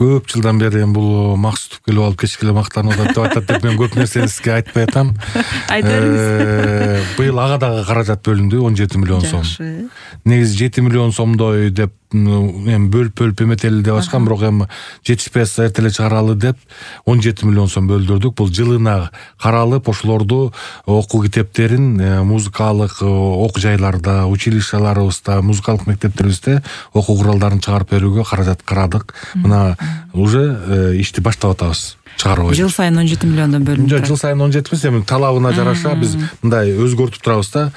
көп жылдан бери бул Максутов келип алып кечке эле мактанып атат деп атат деп мен көп нерсени сизге айтпай атам. Айта бериңиз. Быйыл ага дагы каражат бөлүндү, 17 миллион сом. Негизи 7 миллион сомдой деп эми бөлүп эметели деп ачкан, бирок эми жетишпей атса эртеле чыгаралы деп 17 миллион сом бөлдүрдүк. Бул жылына каралып ошолорду окуу китептерин музыкалык окуу жайларда, училищаларыбызда, музыкалык мектептерибизде окуу куралдарын чыгарып берүүгө каражат карадык. Мына уже ишти баштап атабыз. Жыл сайын 17 миллиондон бөлүнүп турат. Жыл сайын 17 эмес, эми талабына жараша биз мындай өзгөртүп турабыз да.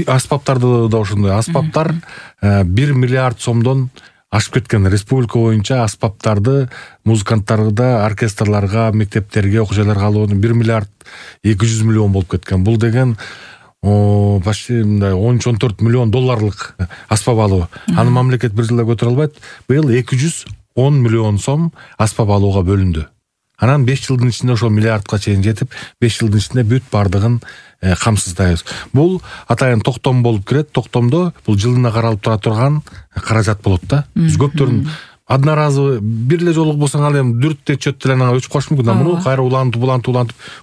Аспаптарды да ошондой. Аспаптар 1 миллиард сомдон ашып кеткен. Республика боюнча аспаптарды музыканттарга, оркестрларга, мектептерге, окуу жайларга алуу 1 миллиард 200 миллион болуп кеткен. Бул деген почти мындай 13-14 миллион долларлык аспап алуу. Аны мамлекет бир жылда көтөрө албайт. Быйыл 210 миллион сом аспап алууга бөлүндү. Анан 5 жылдын ичинде ошол миллиардка чейин жетип, 5 жылдын ичинде бүт бардыгын камсыздайбыз. Бул атайын токтом болуп кирет. Токтомдо бул жылына каралып тура турган каражат болот да. Биз көптөрүн одноразовый бир эле жолук болсоң ал эми дүрт чөт деле анан өчүп калышы мүмкүн. Муну кайра улантып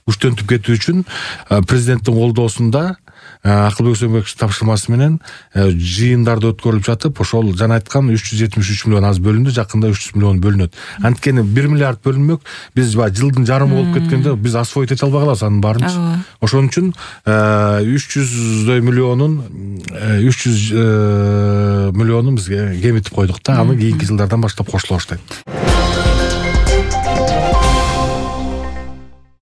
күчтөнтүп кетүү үчүн президенттин колдоосунда Акылбек Сөмбекович тапшырмасы менен жыйындарды өткөрүлүп жатып, ошол жана айткан 373 миллион аз бөлүндү, жакында 300 миллион бөлүнөт. Анткени 1 миллиард бөлүнмөк, биз жылдын жарымы болуп кеткенде биз освоить эте албай калабыз анын баарын. Ошон үчүн 300 миллионун бизге кемитип койдук да, аны кийинки жылдардан баштап кошуло баштайт.